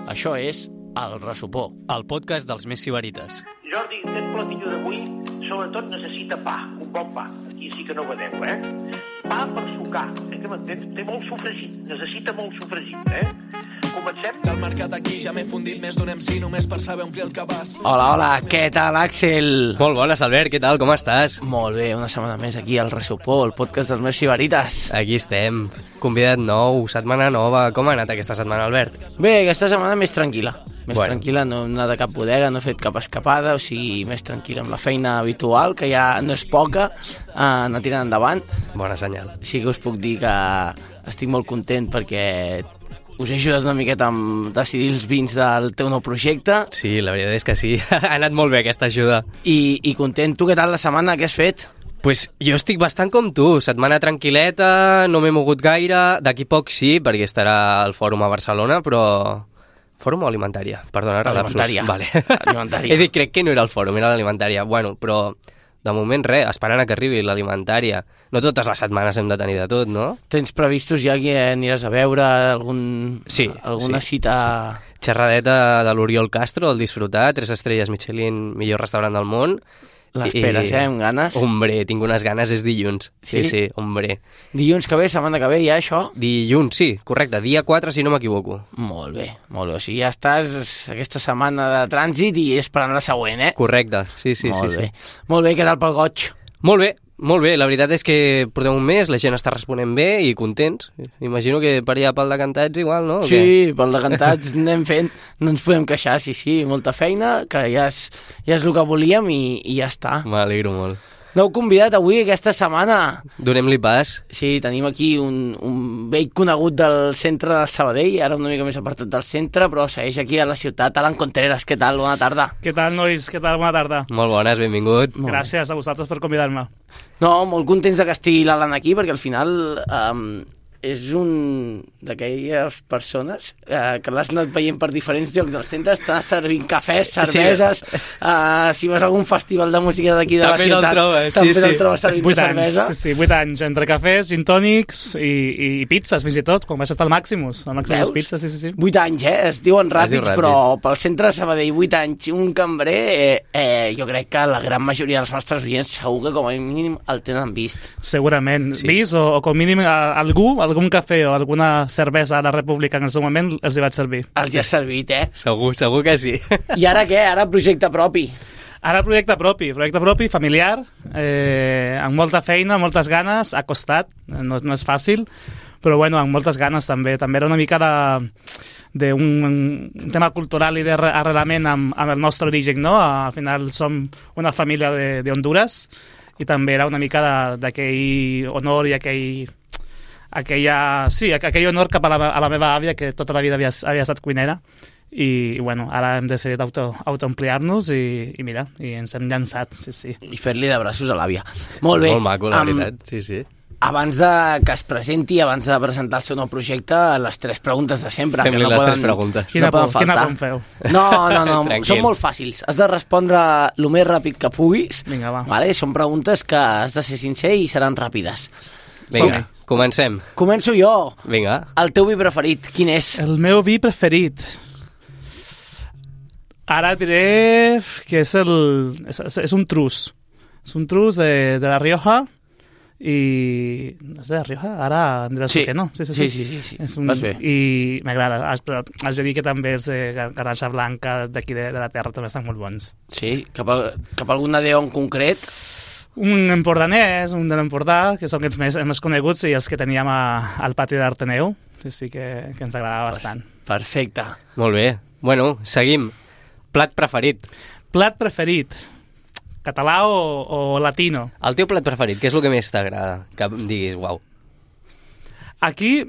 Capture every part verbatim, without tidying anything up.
Això és El Ressupó, el podcast dels més sibarites. Jordi, aquest platillo d'avui sobretot necessita pa, un bon pa. Aquí sí que no vedeu, eh? Pa per sucar, eh, que m'entens? Té molt sofregit, necessita molt sofregit, eh? Comencem? Del mercat aquí ja m'he fundit més d'un M C només per saber omplir el cabàs. Hola, hola, què tal, Àxel? Molt bones, Albert, què tal, com estàs? Molt bé, una setmana més aquí al Ressupó, el podcast dels més sibarites. Aquí estem, convidat nou, setmana nova. Com ha anat aquesta setmana, Albert? Bé, aquesta setmana més tranquil·la. Més Bueno. tranquil·la, no hem anat a cap bodega, no he fet cap escapada, o sigui, més tranquil·la amb la feina habitual, que ja no és poca, eh, anar tirant endavant. Bona senyal. Sí que us puc dir que estic molt content perquè us he ajudat una miqueta amb decidir els vins del teu nou projecte Sí, la veritat és que sí, ha anat molt bé aquesta ajuda. i, i content. Tu què tal la setmana? Què has fet? Pues jo estic bastant com tu, setmana tranquil·leta, no m'he mogut gaire, d'aquí poc sí, perquè estarà al fòrum a Barcelona, però... Fòrum o alimentària? Perdona, ara Alimentària. Vale. Alimentària. He dit, crec que no era el fòrum, era l'alimentària. Bueno, però de moment res, esperant a que arribi l'alimentària. No totes les setmanes hem de tenir de tot, no? Tens previstos ja que aniràs a veure algun, Sí, alguna sí. cita? Xerradeta de l'Oriol Castro, el Disfrutar, tres estrelles Michelin, millor restaurant del món. L'esperes, I- eh, amb ganes? Hombre, tinc unes ganes, és dilluns. Sí, Sí? sí, hombre. Dilluns que ve, setmana que ve, ja això? Dilluns, sí, correcte, dia quatre, si no m'equivoco. Molt bé, molt bé. O sigui, ja estàs aquesta setmana de trànsit i esperant la següent, eh? Correcte, sí, sí, molt sí, bé. sí. Molt bé, què tal pel goig? Molt bé, molt bé. La veritat és que portem un mes, la gent està responent bé i contents. Imagino que per allà pel decantats igual, no? O què? Sí, pel decantats anem fent, no ens podem queixar, sí, sí, molta feina, que ja és, ja és el que volíem i, i ja està. M'alegro molt. Nou convidat avui aquesta setmana. Donem-li pas. Sí, tenim aquí un, un vell conegut del centre de Sabadell, ara una mica més apartat del centre, però segueix aquí a la ciutat. Alan Contreras, què tal? Bona tarda. Què tal, nois? Què tal? Bona tarda. Molt bones, benvingut. Molt Gràcies a vosaltres per convidar-me. No, molt contents de que estigui l'Alan aquí, perquè al final um, és un d'aquelles persones eh, que l'has anat veient per diferents llocs del centre, està servint cafès, cerveses, sí. uh, si vas a algun festival de música d'aquí de També la ciutat, te'l trobes, també sí, te'l sí. trobes servint Vuit de anys, cervesa. sí, vuit anys, entre cafès, gin tònics i, i, i pizzas, fins i tot, quan vaig estar al Maximus, al Maximus Veus? Pizza, sí, sí, sí. Vuit anys, eh? Es diuen ràpids, diu ràpid. però pel centre de Sabadell, vuit anys, un cambrer, eh, eh, jo crec que la gran majoria dels nostres oients segur que com a mínim el tenen vist. Segurament. Sí. Vist o, o com mínim a, algú, algun cafè o alguna cervesa a la República en el seu moment els hi vaig servir. Els ja ha servit, eh? Segur, segur que sí. I ara què? Ara projecte propi. Ara projecte propi, projecte propi, familiar, eh, amb molta feina, moltes ganes, ha costat, no, no és fàcil, però bueno, amb moltes ganes també. També era una mica de d'un un tema cultural i d'arrelament amb, amb el nostre origen, no? Al final som una família de, de Honduras i també era una mica de- d'aquell honor i aquell aquella, sí, aquell honor cap a la, a la meva àvia, que tota la vida havia, havia estat cuinera, i, i bueno, ara hem decidit auto, autoampliar-nos i, i mira, i ens hem llançat, sí, sí. I fer-li de braços a l'àvia. Molt bé. Molt maco, la Am- veritat, sí, sí. Abans de que es presenti, abans de presentar el seu nou projecte, les tres preguntes de sempre. Fem-li que no les poden, tres preguntes. Quina no poden por, quina faltar. por em feu? No, no, no, Tranquil. són molt fàcils. Has de respondre el més ràpid que puguis. Vinga, va. Vale? Són preguntes que has de ser sincer i seran ràpides. Vinga, comencem. Començo jo. Vinga. El teu vi preferit, quin és? El meu vi preferit. Ara diré que és el... És, és un trus. És un trus de, de la Rioja i... És de la Rioja? Ara em diràs Sí. que no. Sí, sí, Sí, sí. sí, sí, sí. És un, Vas bé. I m'agrada. Has, però has de dir que també és de garnacha blanca d'aquí de, de la terra, també estan molt bons. Sí? Cap a, cap a algun adéu en concret? Un empordanès, un de l'Empordà, que són els més, els més coneguts i els que teníem a, al pati d'Arteneu. Sí, sí que, que ens agradava bastant. Perfecte. Molt bé. Bueno, seguim. Plat preferit. Plat preferit. Català o, o latino? El teu plat preferit, què és el que més t'agrada? Que em diguis, uau. Aquí,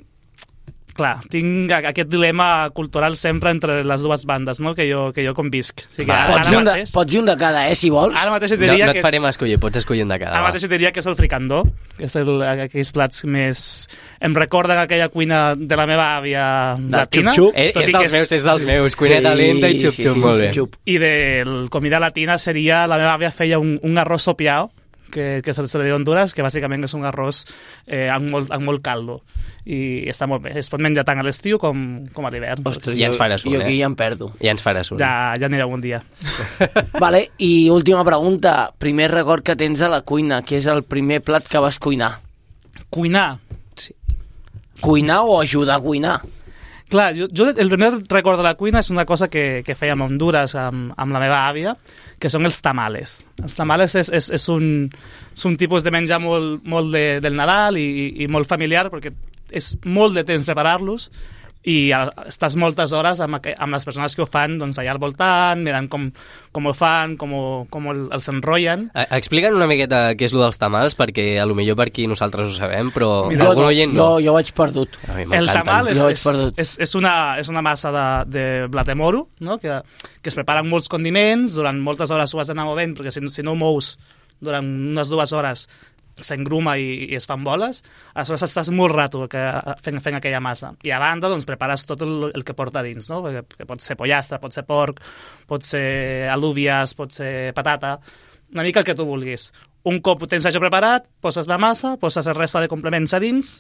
clar, tinc a- aquest dilema cultural sempre entre les dues bandes, no?, que jo, que jo convisc. O sigui, Va, ara, Pots ara, dir, un de, mateix, pots dir un de cada, eh, si vols. ara mateix et No, diria no que et farem és, escollir, pots escollir un de cada. ara va. mateix et diria que és el fricandó, que és el, aquells plats més... Em recorden aquella cuina de la meva àvia latina. xup-xup. Eh, tot és i que dels meus, és dels meus. Cuineta lenta i xup-xup, molt bé. xup-xup. I de comida latina seria... La meva àvia feia un, un arròs sopiao, que, que se li diu Honduras, que bàsicament és un arròs eh, amb, molt, amb molt caldo. I està molt bé. Es pot menjar tant a l'estiu com, com a l'hivern. Ostres, Ja ens faràs un, jo eh? aquí ja em perdo. Ja ens faràs un. Ja, ja anireu un dia. Vale, i última pregunta. Primer record que tens a la cuina, què és el primer plat que vas cuinar? Cuinar. Cuinar o ajudar a cuinar? Clar, jo, jo el primer record de la cuina és una cosa que, que fèiem a Honduras amb, amb la meva àvia, que són els tamales. Els tamales és, és, és, un, és un tipus de menjar molt, molt de, del Nadal i, i molt familiar, perquè és molt de temps preparar-los, i estàs moltes hores amb, amb les persones que ho fan doncs, allà al voltant, mirant com, com ho fan, com, ho, com els enrotllen. Explica'ns una miqueta què és el dels tamals, perquè a lo millor per aquí nosaltres ho sabem, però Mira, algun jo, oient jo, no. jo vaig perdut. El tamal és, Jo vaig és, perdut. és, és, una, és una massa de, de blat de moro, no? que, que es prepara amb molts condiments, durant moltes hores ho has d'anar movent, perquè si, si no ho mous durant unes dues hores s'engruma i, i es fan boles, aleshores estàs molt rato que, fent, fent aquella massa. I a banda doncs, prepares tot el, el que porta dins, no? que, que pot ser pollastre, pot ser porc, pot ser alúvies, pot ser patata, una mica el que tu vulguis. Un cop ho tens això preparat, poses la massa, poses el resta de complements a dins,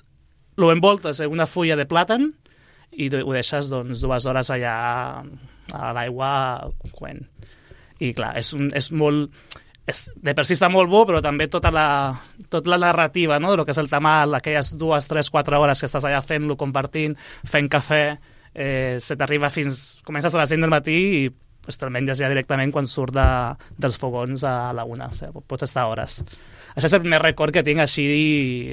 ho envoltes en una fulla de plàtan i ho deixes doncs, dues hores allà a l'aigua coent. I clar, és, un, és molt... És, de per si està molt bo, però també tota la, tota la narrativa, no?, del que és el tamal, aquelles dues, tres, quatre hores que estàs allà fent-lo, compartint, fent cafè, eh, se t'arriba fins... Comences a les cinc del matí i pues, te'l menges ja directament quan surt de, dels fogons a la una. O sigui, pots estar hores. Això és el primer record que tinc així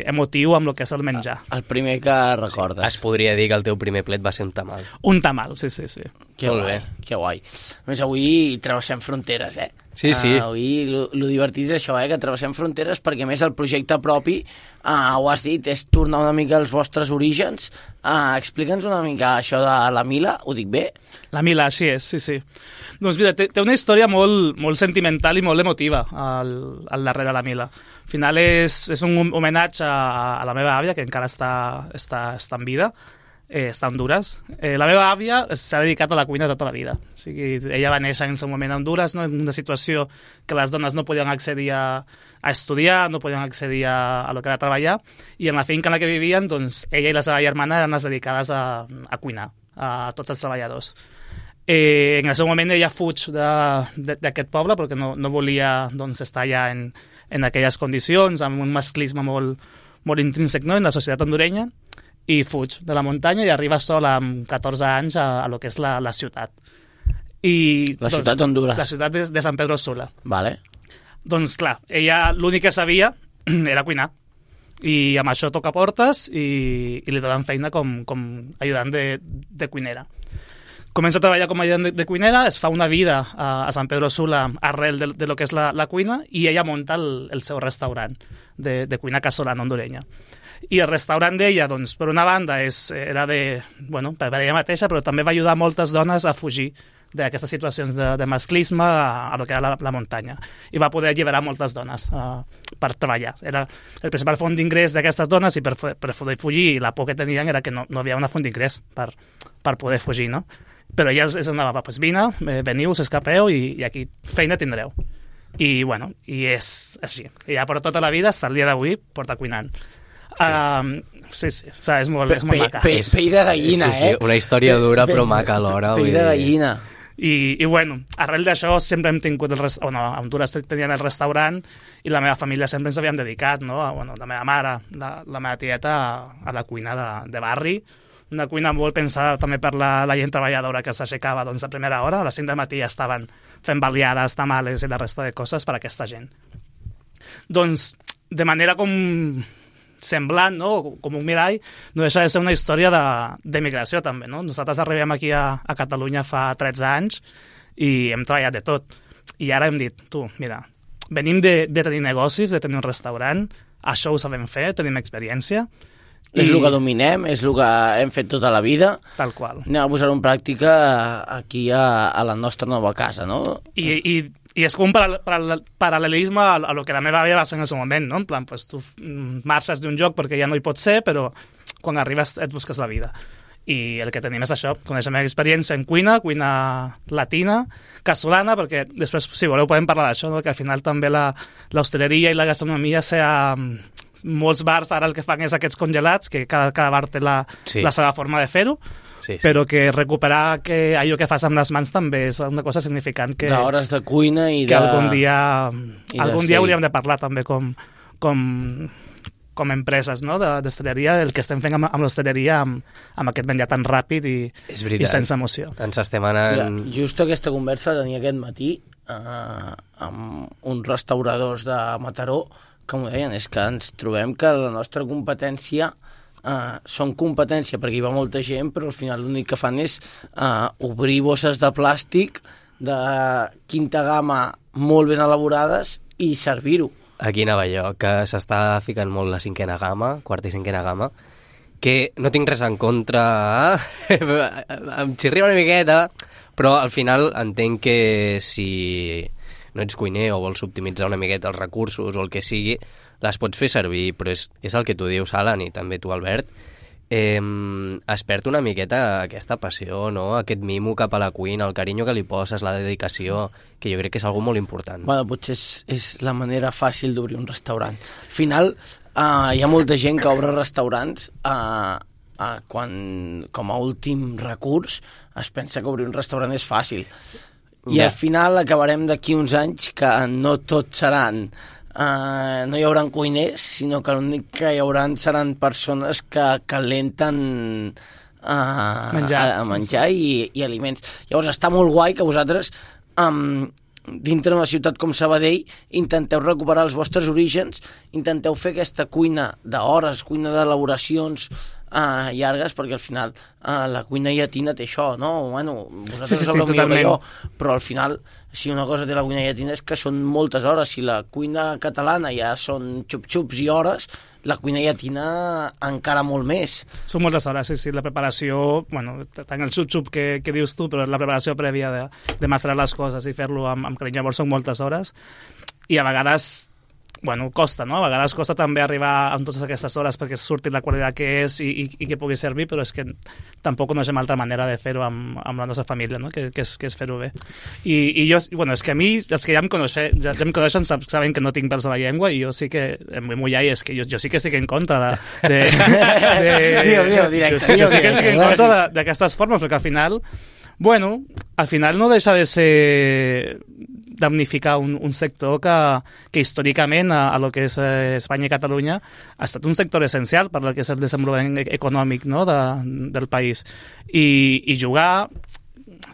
emotiu amb el que és el menjar. El primer que recordes. Es podria dir que el teu primer plet va ser un tamal. Un tamal, sí, sí, sí. Que Molt guai, bé. que guai. A més, avui travessem fronteres, eh? Sí, sí. Uh, avui lo, lo divertit és això, eh? Que travessem fronteres perquè, a més, el projecte propi, uh, ho has dit, és tornar una mica als vostres orígens. Uh, Explica'ns una mica això de la Mila, ho dic bé? La Mila, així és, sí, sí. Doncs mira, té, té una història molt, molt sentimental i molt emotiva al, al darrere la Mila. Al final és, és un homenatge a, a la meva àvia, que encara està, està, està en vida, eh, està a Honduras. Eh, la meva àvia s'ha dedicat a la cuina tota la vida. O sigui, ella va néixer en un moment a Honduras, no? En una situació que les dones no podien accedir a, a estudiar, no podien accedir a, a lo que era treballar, i en la finca en la que vivien, doncs, ella i la seva germana eren les dedicades a, a cuinar, a, a tots els treballadors. Eh, en el seu moment ella fuig d'aquest poble perquè no, no volia doncs, estar allà en, en aquelles condicions, amb un masclisme molt, molt intrínsec, no?, en la societat hondurenya, i fuig de la muntanya i arriba sola amb catorze anys a, a lo que és la, la ciutat. I, La doncs, ciutat d'Honduras. La ciutat de, de San Pedro Sula. Vale. Doncs clar, ella l'únic que sabia era cuinar. I amb això toca portes i, i li donen feina com, com ajudant de, de cuinera. Comença a treballar com a ajudant de, de cuinera, es fa una vida a, a San Pedro Sula arrel de, de lo que és la, la cuina, i ella munta el, el seu restaurant de, de cuina casolana hondurenya. I el restaurant d'ella, doncs, per una banda, és, era de, bueno, per ella mateixa, però també va ajudar moltes dones a fugir d'aquestes situacions de, de masclisme a, a lo que era la, la muntanya. I va poder alliberar moltes dones uh, per treballar. Era el principal font d'ingrés d'aquestes dones, i per, per poder fugir, i la por que tenien era que no, no havia una font d'ingrés per, per poder fugir, no? Però ella es anava, pues vine, veniu, s'escapeu, i, i aquí feina tindreu. I, bueno, i és així. I ja per tota la vida, fins al dia d'avui, porta cuinant. Sí, um, sí, sí, o sigui, és molt, és molt pe, maca. Pe, pell de gallina, sí, sí, eh? una història dura Pe, però maca alhora. Pell de gallina. I, i bueno, arrel d'això sempre hem tingut el rest... bueno, a Honduras teníem el restaurant i la meva família sempre ens havíem dedicat, no? A, bueno, la meva mare, la, la meva tieta, a, a la cuina de, de barri, una cuina molt pensada també per la, la gent treballadora que s'aixecava doncs, a primera hora, a les cinc del matí ja estaven fent baliades, tamales i la resta de coses per a aquesta gent. Doncs, de manera com semblant, no? Com un mirall, no deixa de ser una història d'emigració també, no? Nosaltres arribem aquí a, a Catalunya fa tretze anys i hem treballat de tot. I ara hem dit, tu, mira, venim de, de tenir negocis, de tenir un restaurant, això ho sabem fer, tenim experiència. És i... el que dominem, és el que hem fet tota la vida. Tal qual. Anem a posar-ho en pràctica aquí a, a la nostra nova casa, no? I, i, i és com un paral paral paral·lelisme a, a lo que la meva àvia va ser en el seu moment, no? En plan, pues, tu marxes d'un lloc perquè ja no hi pots ser, però quan arribes et busques la vida. i el que tenim és això, coneixem experiència en cuina, cuina latina, casolana, perquè després, si voleu, podem parlar d'això, no? Que al final també la, l'hostaleria i la gastronomia sea... Molts bars ara el que fan és aquests congelats, que cada, cada bar té la, Sí. la seva forma de fer-ho, Sí, sí. però que recuperar que allò que fas amb les mans també és una cosa significant que, D'hores de cuina i que de... algun dia, i de algun ser-hi. dia hauríem de parlar també com, com, com empreses, no? de- d'hostaleria, el que estem fent amb, amb l'hostaleria, amb, amb aquest menjar tan ràpid i, És i veritat. sense emoció. Ens estem Mira, anant... just aquesta conversa la tenia aquest matí eh, amb uns restauradors de Mataró que m'ho deien, és que ens trobem que la nostra competència eh, són competència perquè hi va molta gent, però al final l'únic que fan és eh, obrir bosses de plàstic de quinta gamma molt ben elaborades i servir-ho. Aquí anava jo, que s'està ficant molt la cinquena gamma, quarta i cinquena gamma, que no tinc res en contra, em xirria una miqueta, però al final entenc que si no ets cuiner o vols optimitzar una miqueta els recursos o el que sigui, les pots fer servir, però és, és el que tu dius, Alan, i també tu, Albert, eh, es perd una miqueta aquesta passió, no? Aquest mimo cap a la cuina, el carinyo que li poses, la dedicació, que jo crec que és algo molt important. Bueno, potser és, és la manera fàcil d'obrir un restaurant. Al final, uh, hi ha molta gent que obre restaurants uh, uh, quan, com a últim recurs, es pensa que obrir un restaurant és fàcil. I Ja. al final acabarem d'aquí uns anys que no tots seran... Uh, no hi haurà cuiners, sinó que l'únic que hi haurà seran persones que calenten uh, Menjar. a, a menjar i, i aliments. Llavors està molt guai que vosaltres um, dintre d'una ciutat com Sabadell intenteu recuperar els vostres orígens, intenteu fer aquesta cuina d'hores, cuina d'elaboracions uh, llargues, perquè al final uh, la cuina llatina té això, no? Bueno, vosaltres Sí, sí, sí, sabreu millor que totalment. jo, però al final si una cosa té la cuina llatina és que són moltes hores. Si la cuina catalana ja són xup-xups i hores, la cuina llatina encara molt més. Són moltes hores, sí, sí, la preparació, bueno, tant el xup-xup que, que dius tu, però la preparació prèvia de, de masterar les coses i fer-lo amb, amb carinyo, llavors són moltes hores, i a vegades, bueno, costa, no? A vegades costa també arribar amb totes aquestes hores perquè surti la qualitat que és i, i, i que pugui servir, però és que tampoc coneixem altra manera de fer-ho amb, amb la nostra família, no? Que, que és, que és fer-ho bé. I, I jo, bueno, és que a mi, els que ja em, coneixe, ja, ja em coneixen saben que no tinc pèls a la llengua i jo sí que em vull mullar i és que jo, jo sí que estic en contra de... de, de Digue-ho, digue-ho, directe, jo, jo sí digue-ho, que estic en directe, contra de- d'aquestes formes, perquè al final, bueno, al final no deixa de ser damnificar un, un sector que, que històricament a, a lo que és eh, Espanya i Catalunya ha estat un sector essencial per al que és el desenvolupament e- econòmic, no? de, del país. I, i jugar,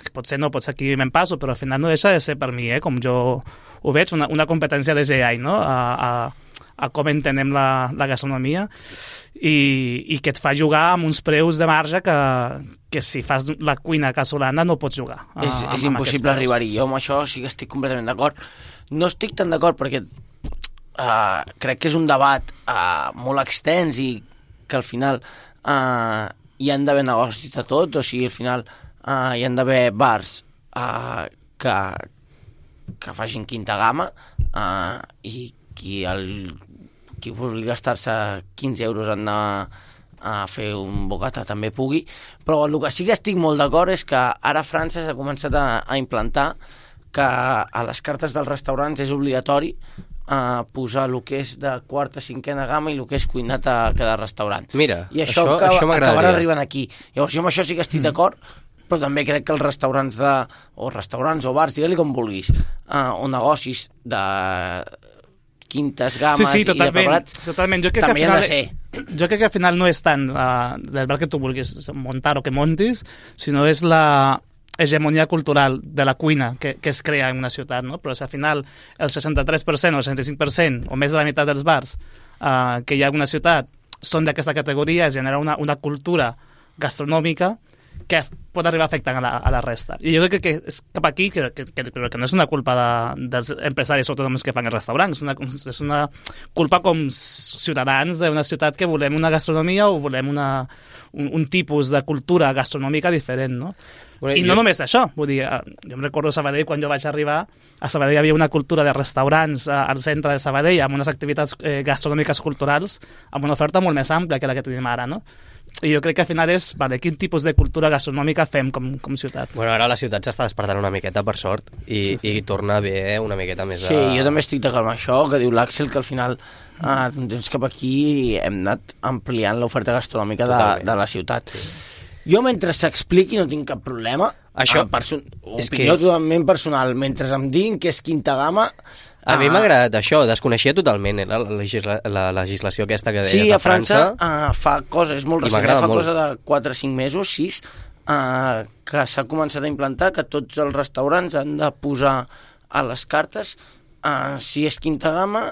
que potser no, potser aquí me'n passo, però al final no deixa de ser per mi, eh, com jo ho veig, una, una competència de G I, no? a, a, a com entenem la, la gastronomia i, i que et fa jugar amb uns preus de marge que, que si fas la cuina casolana no pots jugar. a- És, amb- és amb impossible aquests preus. arribar-hi. Jo amb això sí que estic completament d'acord. No estic tan d'acord perquè uh, crec que és un debat uh, molt extens i que al final uh, hi han d'haver negocis de tot, o sigui, al final uh, hi han d'haver bars uh, que, que facin quinta gamma uh, i qui, el, qui vulgui gastar-se quinze euros en anar a fer un bocata també pugui, però el que sí que estic molt d'acord és que ara a França s'ha començat a, a implantar que a les cartes dels restaurants és obligatori uh, posar el que és de quarta, cinquena gamma i el que és cuinat a cada restaurant. Mira, I això, això- acaba, això m'agradaria. acabarà arribant aquí. Llavors jo amb això sí que estic mm. d'acord, però també crec que els restaurants de, o restaurants o bars, digue-li com vulguis, uh, o negocis de quintes gammes Sí, sí, i de totalment, preparats, totalment. Jo crec també que han al de final, ser. Jo crec que al final no és tant uh, del bar que tu vulguis muntar o que montis, sinó és la hegemonia cultural de la cuina que, que es crea en una ciutat, no? Però si al final el seixanta-tres per cent o el seixanta-cinc per cent o més de la meitat dels bars uh, que hi ha en una ciutat són d'aquesta categoria, es genera una, una cultura gastronòmica que pot arribar a afectar a la, a la resta. I jo crec que és cap aquí, que, que, que, però que no és una culpa de, dels empresaris, sobretot els que fan els restaurants, és una, és una culpa com ciutadans d'una ciutat que volem una gastronomia o volem una, un, un tipus de cultura gastronòmica diferent, no? Bueno, I jo- no només això, vull dir, eh, jo em recordo a Sabadell, quan jo vaig arribar, a Sabadell hi havia una cultura de restaurants eh, al centre de Sabadell, amb unes activitats eh, gastronòmiques culturals, amb una oferta molt més àmplia que la que tenim ara, no? i jo crec que al final és, vale, quin tipus de cultura gastronòmica fem com, com ciutat. Bueno, ara la ciutat s'està despertant una miqueta, per sort, i, sí, sí. i torna bé una miqueta més Sí, a... jo també estic d'acord amb això, que diu l'Àxel, que al final eh, doncs cap aquí hem anat ampliant l'oferta gastronòmica de, de la ciutat. Sí. Jo, mentre s'expliqui, no tinc cap problema. Això, perso- opinió que... totalment personal. Mentre em diguin que és quinta gamma... A mi m'ha agradat això, desconeixia totalment eh, la, legisla, la legislació aquesta que deies sí, de França. França. Sí, a França uh, fa coses, és molt recent, fa molt. cosa de quatre o cinc mesos, sis, uh, que s'ha començat a implantar que tots els restaurants han de posar a les cartes uh, si és quinta gamma,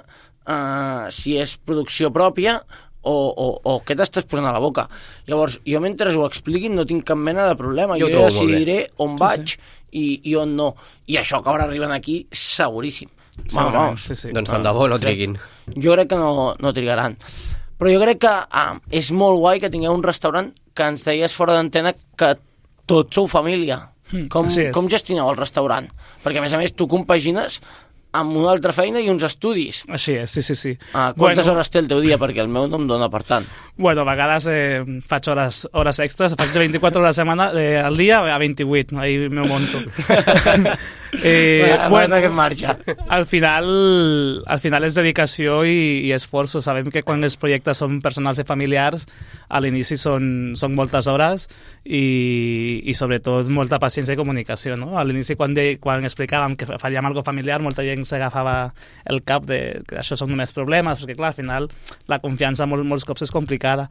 uh, si és producció pròpia o, o, o què t'estàs posant a la boca. Llavors, jo mentre ho expliquin no tinc cap mena de problema. Jo, jo ja decidiré on vaig sí, sí. I, i on no. I això acabarà arribant aquí seguríssim. Vamos, sí, sí. Doncs tant de bo no triguin. Jo crec que no, no trigaran. Però jo crec que ah, és molt guai que tingueu un restaurant que ens deies fora d'antena que tots sou família. Mm, com, com gestioneu el restaurant? Perquè, a més a més, tu compagines amb una altra feina i uns estudis. Així és, sí, sí, sí. Ah, quantes bueno, hores té el teu dia? Perquè el meu no em dona per tant. Bueno, a vegades eh, faig hores, hores extres, faig de vint-i-quatre hores a la setmana, eh, al dia a vint-i-vuit, ahí m'ho monto. eh, bueno, que marxa. Al final, al final és dedicació i, i esforço. Sabem que quan els projectes són personals i familiars, a l'inici són, són moltes hores i, i sobretot molta paciència i comunicació, no? A l'inici, quan, de, quan explicàvem que faríem alguna familiar, molta gent s'agafava el cap de que això són només problemes, perquè clar, al final la confiança molt, molts cops és complicada.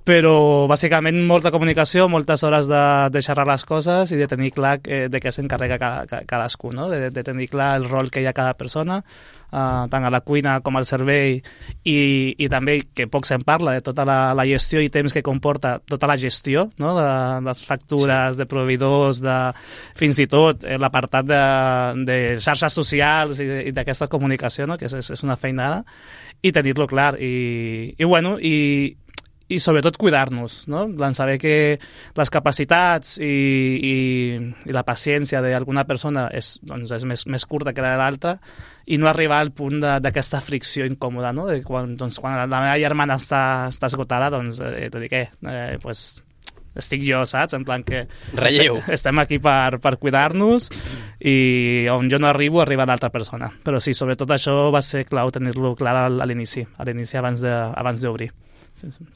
Però bàsicament molta comunicació, moltes hores de, de xerrar les coses i de tenir clar eh, de què s'encarrega cada, cadascú, no? de, de tenir clar el rol que hi ha cada persona, uh, tant a la cuina com al servei, i, i també, que poc se'n parla, de tota la, la gestió i temps que comporta tota la gestió, no? de, de les factures, sí. de proveïdors, de, fins i tot eh, l'apartat de, de xarxes socials i, i d'aquesta comunicació, no? que és, és una feinada, i tenir-lo clar. I, i bueno, i i sobretot cuidar-nos, no? En saber que les capacitats i, i, i la paciència d'alguna persona és, doncs, és més, més curta que la de l'altra i no arribar al punt d'aquesta fricció incòmoda, no? De quan, doncs, quan la meva germana està, està esgotada, doncs eh, te dic, eh, eh, pues, estic jo, saps? En plan que Relleu. Estem, estem aquí per, per cuidar-nos i on jo no arribo, arriba l'altra persona. Però sí, sobretot això va ser clau tenir-lo clar a l'inici, a l'inici abans de, abans d'obrir. Sí, sí.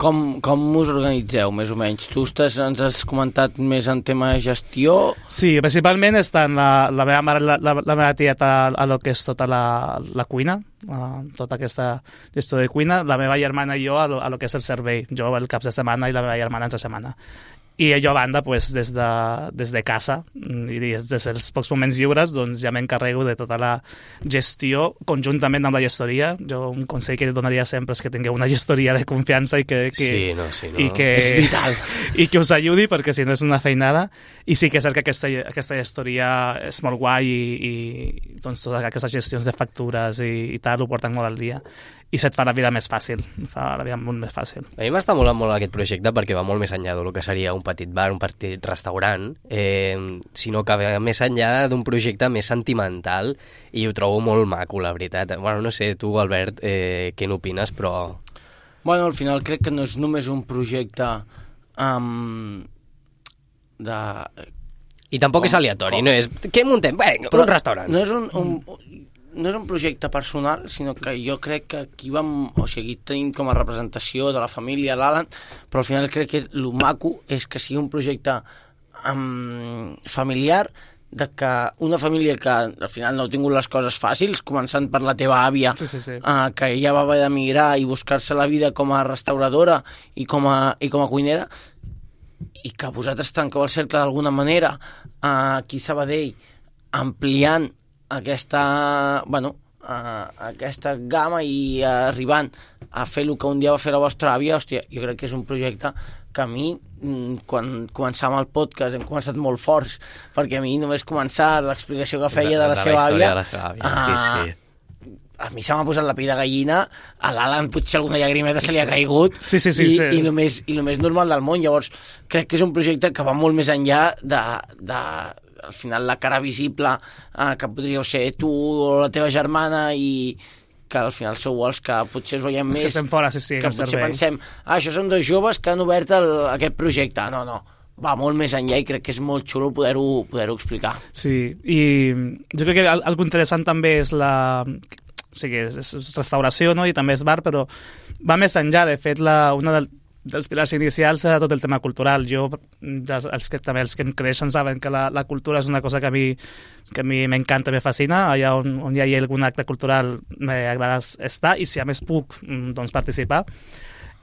Com, com us organitzeu, més o menys? Tu estàs, ens has comentat més en tema de gestió? Sí, principalment estan la, la meva mare, la, la, la meva tieta a lo que és tota la, la cuina, a tota aquesta gestió de cuina, la meva germana i jo a lo, a lo que és el servei, jo el caps de setmana i la meva germana entre setmana. I jo a banda, pues, des, de, des de casa i des dels pocs moments lliures doncs, ja m'encarrego de tota la gestió conjuntament amb la gestoria. Jo un consell que donaria sempre és que tingueu una gestoria de confiança i que, que, sí, no, sí, no. i que, és vital. I que us ajudi, perquè si no és una feinada. I sí que és cert que aquesta, aquesta gestoria és molt guai i, i doncs, totes aquestes gestions de factures i, i tal ho porten molt al dia. I se't fa la vida més fàcil, fa la vida molt més fàcil. A mi m'està molant molt aquest projecte perquè va molt més enllà del que seria un petit bar, un petit restaurant, eh, sinó que va més enllà d'un projecte més sentimental i ho trobo molt maco, la veritat. Bueno, no sé, tu, Albert, eh, què n'opines, però... Bueno, al final crec que no és només un projecte um, de... Mm. I tampoc com, és aleatori, com... no és... Què muntem? Bé, un restaurant. No és un... un no és un projecte personal, sinó que jo crec que aquí vam, o sigui, aquí tenim com a representació de la família l'Alan, però al final crec que el maco és que sigui un projecte um, familiar, de que una família que al final no ha tingut les coses fàcils, començant per la teva àvia, sí, sí, sí. Uh, que ella va haver d'emigrar i buscar-se la vida com a restauradora i com a, i com a cuinera, i que vosaltres tanqueu el cercle d'alguna manera, uh, aquí a Sabadell, ampliant aquesta, bueno, uh, aquesta gamma i uh, arribant a fer el que un dia va fer la vostra àvia, hòstia, jo crec que és un projecte que a mi, quan començàvem el podcast, hem començat molt forts, perquè a mi només començar l'explicació que feia de la, de seva àvia, de la seva àvia, uh, sí, sí. A mi se m'ha posat la pell de gallina, a l'Alan potser alguna llagrimeta se li ha caigut, sí, sí, sí, i, sí. i, el més, i el més normal del món. Llavors, crec que és un projecte que va molt més enllà de... de al final la cara visible eh, que podríeu ser tu o la teva germana i que al final sou els que potser us veiem més... Que estem fora, sí, sí, que potser servei. Pensem, ah, això són dos joves que han obert el, aquest projecte. No, no, va molt més enllà i crec que és molt xulo poder-ho poder-ho explicar. Sí, i jo crec que algo interessant també és la... O sigui, és restauració, no?, i també és bar, però va més enllà. De fet, la, una del, dels pilars inicials era tot el tema cultural. Jo, els que, també els que em creixen saben que la, la cultura és una cosa que a mi que a mi m'encanta, me fascina. Allà on, on hi ha algun acte cultural m'agrada estar, i si a més puc, doncs participar.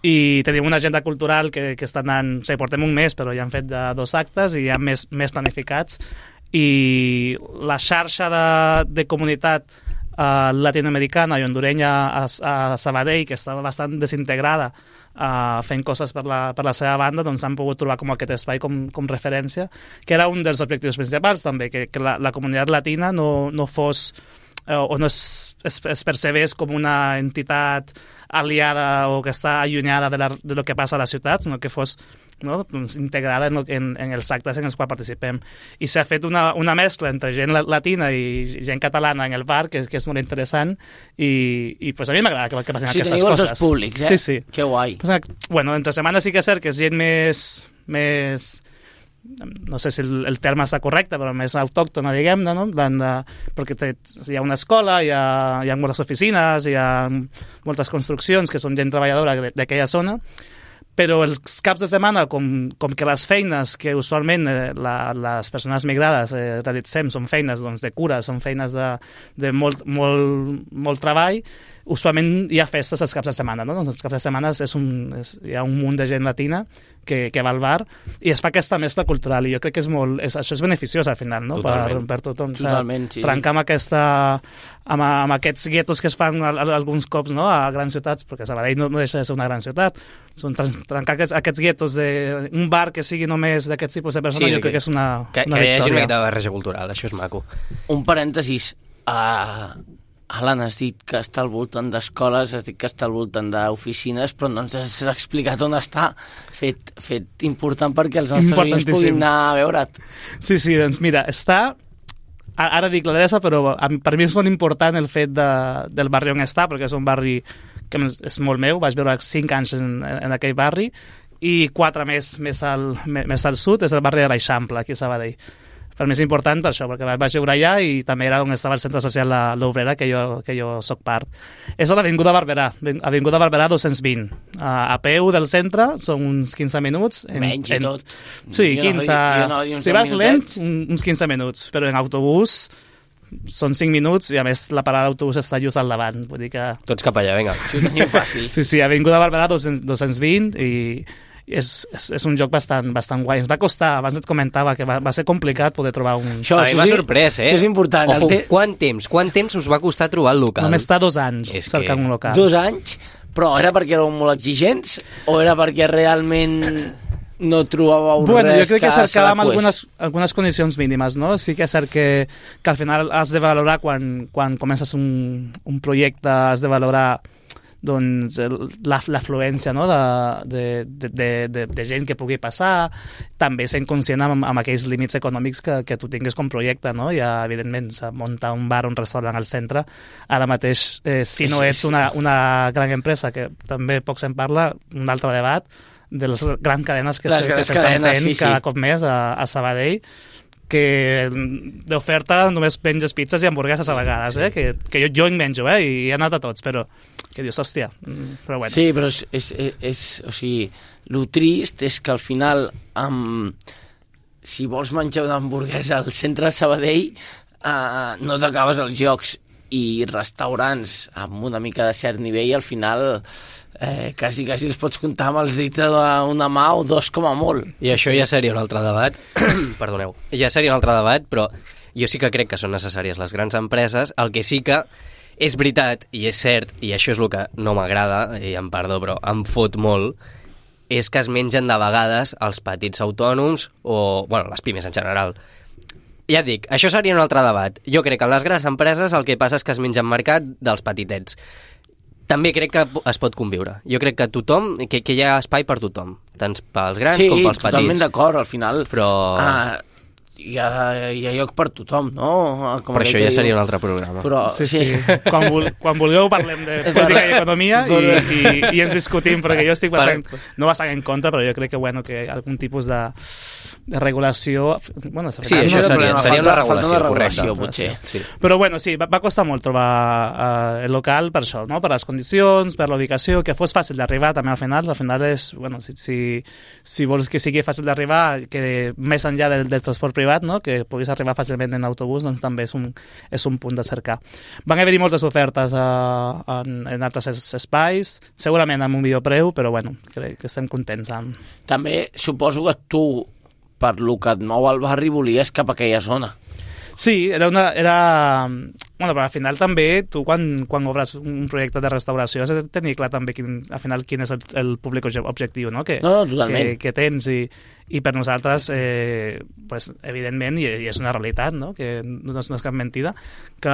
I tenim una agenda cultural que, que està anant... O sigui, portem un mes, però ja han fet de dos actes i hi ha més, més planificats. I la xarxa de, de comunitat uh, latinoamericana i hondurenya a, a Sabadell, que estava bastant desintegrada, uh, fent coses per la, per la seva banda, doncs han pogut trobar com aquest espai com, com referència, que era un dels objectius principals també, que, que la, la comunitat latina no, no fos uh, o no es, es, es percebés com una entitat aliada o que està allunyada de, la, de lo que passa a la ciutat, sinó que fos, no, doncs, integrada en, en, en els actes en els quals participem. I s'ha fet una, una mescla entre gent latina i gent catalana en el bar, que, que és molt interessant, i, i pues, a mi m'agrada que, que passin sí, aquestes coses. Sí, teniu els dos públics, eh? Sí, sí. Que guai. Pues, bueno, entre setmanes sí que és cert que és gent més... més no sé si el, el terme està correcte, però més autòctona, diguem-ne, no? De, de, perquè té, hi ha una escola, hi ha, hi ha moltes oficines, hi ha moltes construccions que són gent treballadora d'aquella zona, però els caps de setmana, com, com que les feines que usualment eh, la, les persones migrades eh, realitzem són feines, doncs, de cura, són feines de, de molt, molt, molt treball, usualment hi ha festes els caps de setmana, no? Doncs els caps de setmana és un, és, hi ha un munt de gent latina que, que va al bar i es fa aquesta mescla cultural, i jo crec que és molt, és, això és beneficiós al final, no? Per, per tothom. Totalment, sí. Trencar amb, aquesta, amb, amb aquests guetos que es fan a, a, alguns cops, no?, a grans ciutats, perquè Sabadell no, no deixa de ser una gran ciutat. Són trencar aquests, aquests guetos d'un bar que sigui només d'aquest tipus de persones, sí, jo crec que és una, que, una que victòria. Que hi hagi una mica de barreja cultural, això és maco. Un parèntesis. Uh, Alan, has dit que està al voltant d'escoles, has dit que està al voltant d'oficines, però no ens has explicat on està. Fet, fet important perquè els nostres veïns puguin anar a veure't. Sí, sí, doncs mira, està... Ara dic l'adreça, però per mi és molt important el fet de, del barri on està, perquè és un barri que és molt meu, vaig viure cinc anys en, en aquell barri, i quatre més, més, al, més al sud, és el barri de l'Eixample, aquí a Sabadell. Per mi és important per això, perquè vaig viure allà i també era on estava el centre social l'Obrera, que jo, que jo soc part. És a l'Avinguda Barberà, Avinguda Barberà dos-cents vint. A peu del centre són uns quinze minuts. En, Menys i en, tot. Sí, quinze. Jo no, jo no, si vas lent, uns quinze minuts, però en autobús són cinc minuts i a més la parada d'autobús està just al davant. Vull dir que... Tots cap allà, vinga. Ho teniu fàcil. Sí, sí, Avinguda Barberà dos-cents vint i... És, és, és un joc bastant, bastant guai. Ens va costar, abans et comentava que va, va ser complicat poder trobar un... Això, això m'ha sorprès, eh? Això és important. Ojo, te... quant temps? Quant temps us va costar trobar el local? Només està dos anys és cercant que... un local. Dos anys? Però era perquè éreu molt exigents o era perquè realment no trobàveu bueno, res jo crec que, que cercàvem algunes, pues... algunes condicions mínimes, no? Sí que és cert que, que al final has de valorar quan, quan comences un, un projecte, has de valorar doncs l'afluència, no?, de, de, de, de, de gent que pugui passar, també sent conscient amb, amb aquells límits econòmics que, que tu tingues com projecte, no? Ja, evidentment, muntar un bar o un restaurant al centre, ara mateix, eh, si no ets una, una gran empresa, que també poc se'n parla, un altre debat, de les grans cadenes que s'estan fent sí, sí. cada cop més a, a Sabadell, que d'oferta només menges pizzas i hamburgueses a vegades, eh? que, que jo, jo en menjo, eh? I he anat a tots, però que dius, hòstia, però bueno. Sí, però és, és, és, és o sigui, lo trist és que al final, um, si vols menjar una hamburguesa al centre de Sabadell, uh, no t'acabes els jocs, i restaurants amb una mica de cert nivell, al final... Eh, quasi, quasi els pots comptar amb els dits d'una mà o dos com a molt. I això ja seria un altre debat. Perdoneu. Ja seria un altre debat, però jo sí que crec que són necessàries les grans empreses. El que sí que és veritat, i és cert, i això és el que no m'agrada, i em perdó, però em fot molt, és que es mengen de vegades els petits autònoms o, bueno, les pimes en general. Ja et dic, això seria un altre debat. Jo crec que en les grans empreses el que passa és que es mengen mercat dels petitets. També crec que es pot conviure. Jo crec que tothom, que, que hi ha espai per tothom, tant pels grans sí, com pels petits. Sí, totalment d'acord, al final. Però... Ah, hi ha, hi ha lloc per tothom, no? Com però això ja seria un altre programa. Però, sí, sí. sí. Quan, vol, quan vulgueu parlem de política i economia i, i, i ens discutim, perquè jo estic bastant, no bastant en contra, però jo crec que, bueno, que algun tipus de, de regulació... Bueno, sí, això seria, seria una regulació, una regulació potser. Sí. Però, bueno, sí, va, va costar molt trobar uh, el local per això, no? Per les condicions, per la ubicació, que fos fàcil d'arribar també al final. Al final és, bueno, si, si, si vols que sigui fàcil d'arribar, que més enllà del, del transport privat, no? Que puguis arribar fàcilment en autobús, doncs també és un, és un punt de cercar. Van haver-hi moltes ofertes uh, en, en altres espais, segurament amb un millor preu, però bueno, crec que estem contents amb... També suposo que tu, per lo que et mou al barri, volies cap a aquella zona. Sí, era una... Era... Bueno, però al final també, tu quan, quan obres un projecte de restauració has de tenir clar també quin, al final quin és el, el públic objectiu, no? Que, no, no, totalment. Que, que tens i, i per nosaltres, eh, pues, evidentment, i, i és una realitat, no? Que no és, no és cap mentida, que,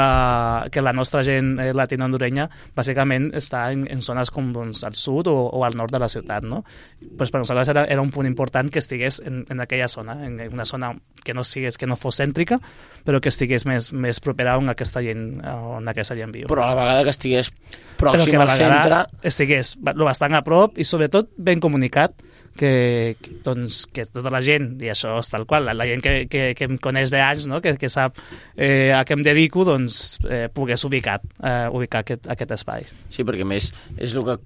que la nostra gent eh, latino-hondurenya bàsicament està en, en zones com doncs, al sud o, o al nord de la ciutat, no? Pues per nosaltres era, era un punt important que estigués en, en aquella zona, en una zona que no, sigués, que no fos cèntrica, però que estigués més, més propera on aquesta gent on aquesta gent viu. Però a la vegada que estigués pròxim al centre... estigués bastant a prop i sobretot ben comunicat que, que, doncs, que tota la gent, i això és tal qual, la, la gent que, que, que em coneix d'anys, no? que, que sap eh, a què em dedico, doncs eh, pogués ubicar, eh, ubicar aquest, aquest espai. Sí, perquè més és el que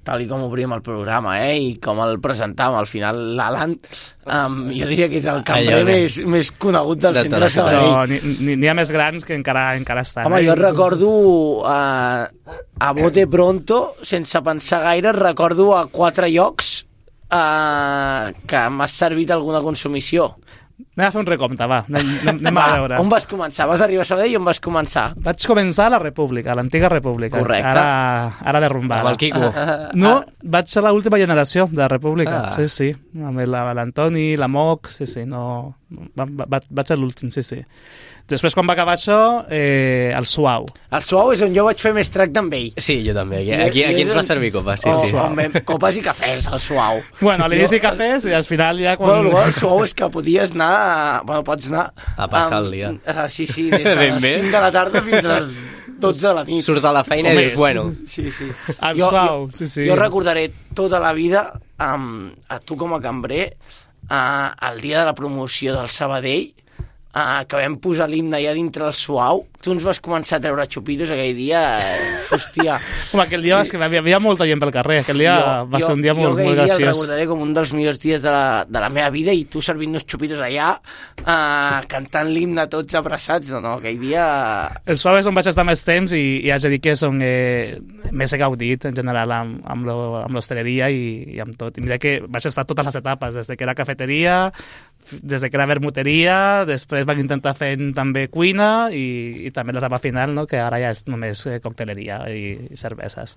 tal i com obríem el programa, eh, i com el presentàvem, al final l'Alan, um, jo diria que és el cambrer més, més conegut del de centre de Sabadell. Però n'hi ha més grans que encara, encara estan. Home, eh? jo recordo uh, a bote pronto, sense pensar gaire, recordo a quatre llocs uh, que m'has servit alguna consumició. Anem a fer un recompte, va, anem, anem va, a veure. On vas començar? Vas arribar a Sabadell i on vas començar? Vaig començar a la República, a l'antiga República. Correcte. Ara, ara derrumbada. Amb el Quico. No, vaig ser l'última generació de la República, ah. sí, sí. Amb l'Antoni, la Moc, sí, sí, no... Va, va, vaig ser l'últim, sí, sí. Després, quan va acabar això, eh, el Suau. El Suau és on jo vaig fer més tracte amb ell. Sí, jo també. Aquí, aquí, aquí ens va servir copa, sí, oh, sí. On vam, copes i cafès, el Suau. Bueno, a l'inici cafès i al final ja quan... Bueno, el Suau és que podies anar... Bueno, pots anar... A passar el dia. Uh, sí, sí, des de les cinc de la tarda fins a les dotze de la nit. Surts de la feina i dius, bueno... Sí, sí. El jo, Suau, sí, sí. Jo recordaré tota la vida um, a tu com a cambrer uh, el dia de la promoció del Sabadell, Uh, que vam posar l'himne allà dintre el Suau. Tu ens vas començar a treure xupitos aquell dia, eh, hòstia. Home, aquell dia que hi havia molta gent pel carrer, aquell dia jo, va jo, ser un dia molt, molt graciós. Jo aquell dia el recordaré com un dels millors dies de la, de la meva vida, i tu servint-nos xupitos allà, uh, cantant l'himne tots abraçats, no, no, aquell dia... El Suau és on vaig estar més temps i, i haig de dir que és on eh, més he gaudit en general amb, amb, lo, amb l'hostaleria i, i amb tot. I mira que vaig estar totes les etapes, des de que era cafeteria, des de que era vermuteria, després van intentar fer també cuina i, i també l'etapa final, no? Que ara ja és només eh, cocteleria i, i cerveses.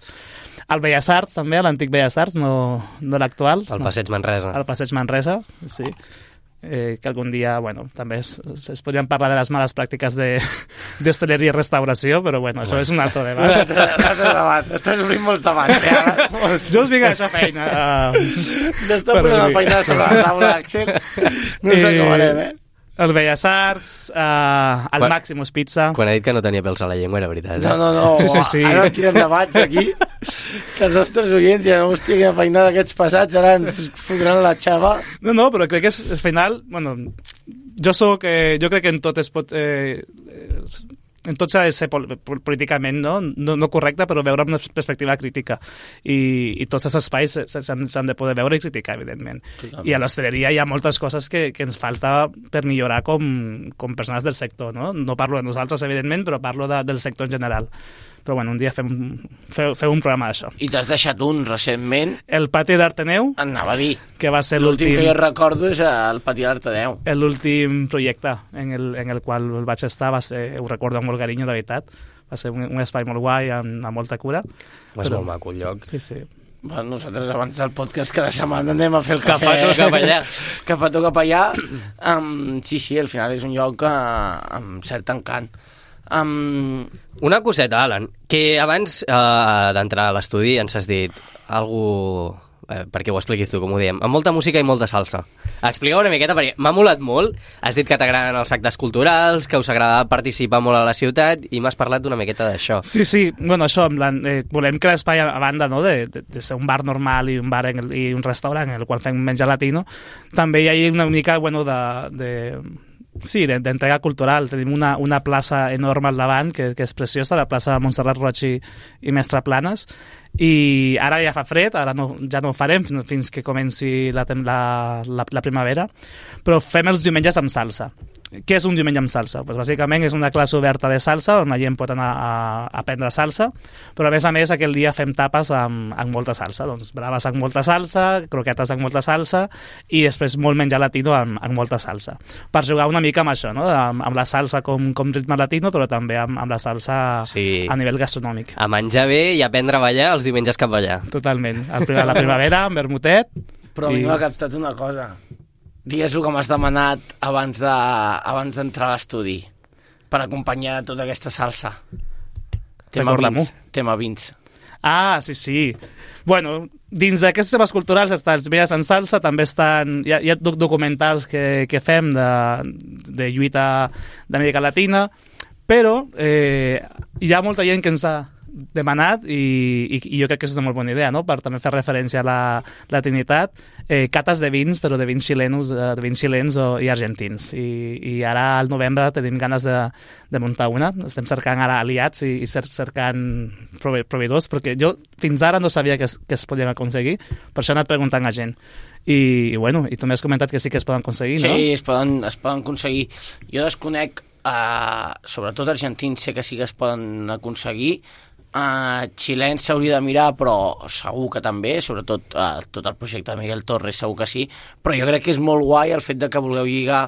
Al Belles Arts també, l'antic Belles Arts, no, no l'actual. Al no. Passeig Manresa. Al Passeig Manresa, sí. Eh, que algun dia, bueno, també es, es podrien parlar de les males pràctiques d'hostaleria i restauració, però bueno, això és un altre debat. debat. Estàs obrint molts debats, eh? Molts. Jo us vinc a deixar feina. Uh, ja està posant la feina sobre la taula, Axel. No ens acabarem, eh? El Belles Arts, uh, el quan, Maximus Pizza... Quan ha dit que no tenia pèls a la llengua, era veritat. No, no, no. Sí, sí, sí. Ara quinen debats aquí, que els nostres oients ja no hòstia, quina feinada d'aquests passats, ara ens fotran la xava. No, no, però crec que és, al final... Bueno, jo soc... Eh, jo crec que en tot es pot... Eh, en tot s'ha de ser políticament no? No, no correcte, però veure amb una perspectiva crítica. I, i tots els espais s'han de poder veure i criticar, evidentment. Totalment. I a l'hostaleria hi ha moltes coses que, que ens falta per millorar com, com persones del sector. No, no parlo de nosaltres, evidentment, però parlo de, del sector en general. Però bueno, un dia fem, fem, fem un programa d'això. I t'has deixat un recentment... El Pati d'Arteneu. Anava a dir. Que va ser l'últim... L'últim que jo recordo és el Pati d'Arteneu. L'últim projecte en el, en el qual vaig estar, va ser, ho recordo amb molt carinyo, de veritat. Va ser un, un espai molt guai, amb, amb molta cura. Va ser molt maco el lloc. Sí, sí. Bueno, nosaltres abans del podcast cada setmana anem a fer el cafè. Cafetó cap allà. Cafetó cap allà. Um, sí, sí, al final és un lloc uh, amb cert encant. Um... Una coseta, Alan, que abans uh, d'entrar a l'estudi ens has dit algú eh, perquè ho expliquis tu, com ho diem, amb molta música i molta salsa. Explica una miqueta, perquè m'ha molat molt. Has dit que t'agraden els actes culturals, que us agrada participar molt a la ciutat, i m'has parlat una miqueta d'això. Sí, sí, bueno, això, en plan, eh, volem crear espai a, a banda, no?, de, de, de ser un bar normal i un bar en el, i un restaurant en el qual fem menjar latino. També hi ha una mica, bueno, de... de Sí, d'entrega cultural. Tenim una, una plaça enorme al davant, que, que és preciosa, la plaça Montserrat Roig i, i Mestre Planes, i ara ja fa fred, ara no, ja no ho farem fins que comenci la, la, la, la primavera, però fem els diumenges amb salsa. Què és un diumenge amb salsa? Pues bàsicament és una classe oberta de salsa on la gent pot anar a, a aprendre salsa, però a més a més aquell dia fem tapes amb, amb molta salsa, doncs braves amb molta salsa, croquetes amb molta salsa i després molt menjar latino amb, amb molta salsa. Per jugar una mica amb això, no? amb, amb la salsa com, com ritme latino, però també amb, amb la salsa sí. a nivell gastronòmic. A menjar bé i aprendre a ballar els diumenges cap ballar. Totalment. A la primavera, amb vermutet. Però a mi i... m'ha captat una cosa. Digues-ho que m'has demanat abans de, abans d'entrar a l'estudi per acompanyar tota aquesta salsa. Tema vins. Tema vins. Ah, sí, sí. Bueno, dins d'aquestes temes culturals estan els diumenges en salsa, també estan, hi ha, hi ha documentals que, que fem de, de lluita d'Amèrica Latina, però eh, hi ha molta gent que ens ha demanat i, i, i jo crec que és una molt bona idea, no?, per també fer referència a la latinitat, eh, cates de vins, però de vins xilenos, de vins xilens o, i argentins, I, i ara al novembre tenim ganes de, de muntar una, estem cercant ara aliats i, i cercant prove, proveïdors, perquè jo fins ara no sabia que es, que es podien aconseguir, per això he anat preguntant a gent. I, i bueno, i tu m'has comentat que sí que es poden aconseguir, no? Sí, es poden, es poden aconseguir. Jo desconec, eh, sobretot argentins sé que sí que es poden aconseguir, Uh, xilens s'hauria de mirar, però segur que també, sobretot uh, tot el projecte de Miguel Torres segur que sí, però jo crec que és molt guai el fet de que vulgueu lligar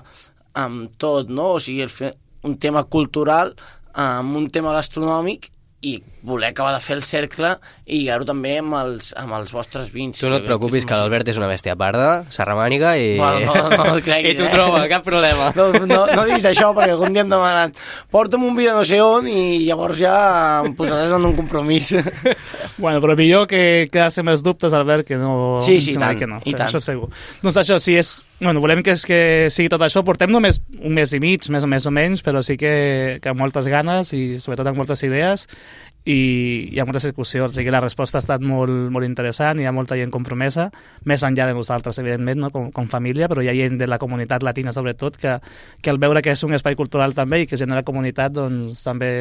amb tot, no? O sigui, el un tema cultural amb un tema gastronòmic i voler acabar de fer el cercle i lligar-ho també amb els, amb els vostres vins. Tu no et preocupis, que, que l'Albert és una bèstia parda, serramànica i... Bueno, no, no, no creguis, I t'ho eh? troba, cap problema. No, no, no diguis això, perquè algun dia em demanen porta'm un vi de no sé on i llavors ja em posaràs en un compromís. Bueno, però millor que quedar-se més dubtes, Albert, que no... Sí, sí, que tant, que no. i Això, tant. això segur. Doncs això, sí, és... Bueno, volem que, és, que sigui tot això. Portem només un mes i mig, més o més o menys, però sí que, que amb moltes ganes i sobretot amb moltes idees i hi ha moltes discussions. O sigui, la resposta ha estat molt, molt interessant, hi ha molta gent compromesa, més enllà de nosaltres, evidentment, no? com, com família, però hi ha gent de la comunitat latina, sobretot, que, que al veure que és un espai cultural també i que genera comunitat, doncs també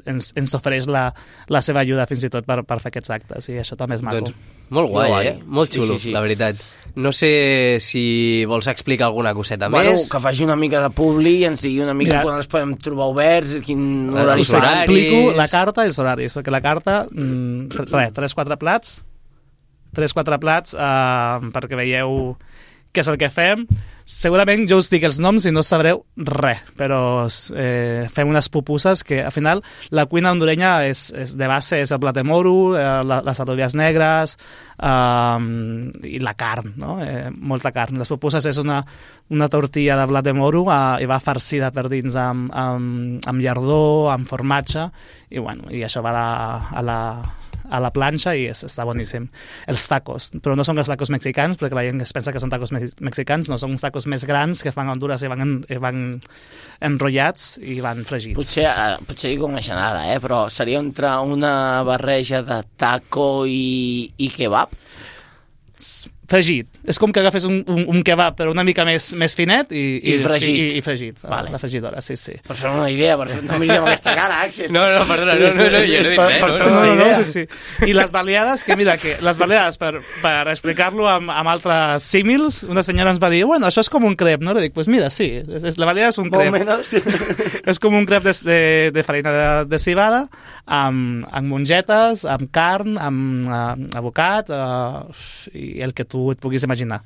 ens, ens ofereix la, la seva ajuda fins i tot per, per fer aquests actes, i això també és maco. Doncs molt guai, Molt guai. eh? Molt xulo, Sí, sí, sí. la veritat. No sé si vols explicar alguna coseta Bueno, més. que faci una mica de publi i ens digui una mica Mira, quan els podem trobar oberts, quin horari els Us farà. horaris. explico la carta i els horaris, perquè la carta, mm, res, tres, quatre plats, tres, quatre plats eh, perquè veieu què és el que fem. Segurament jo us dic els noms i no sabreu res, però eh, fem unes pupusses que, al final, la cuina hondurenya és, és de base és el blat de moro, eh, la, les alubies negres eh, i la carn, no? Eh, molta carn. Les pupusses és una, una tortilla de blat de moro eh, i va farcida per dins amb, amb, amb llardó, amb formatge, i, bueno, i això va a la, a la, a la planxa i és, està boníssim. Els tacos, però no són els tacos mexicans, perquè la gent es pensa que són tacos me mexicans, no, són uns tacos més grans que fan a Honduras i van, en, i van enrotllats i van fregits. Potser, eh, potser dic una genada, eh? Però seria entre una barreja de taco i, i kebab? Fregit. És com que agafes un, un, un kebab però una mica més, més finet i, I fregit. I, i fregit, Vale. la fregidora, sí, sí. Per fer una idea, per fer... no miris amb aquesta cara, Axel. No, no, perdona, no, no, no, jo no he dit Per- res, per no, fer no, No, una no, no, idea. sí, sí. I les baleades, que mira, que les baleades, per, per explicar-lo amb, amb altres símils, una senyora ens va dir, bueno, això és com un crep, no? I dic, pues mira, sí, és, és, la baleada és un Molt crep. menys. És com un crep de, de, de farina de, de cibada, amb, amb mongetes, amb carn, amb uh, abocat, uh, i el que tu et puguis imaginar.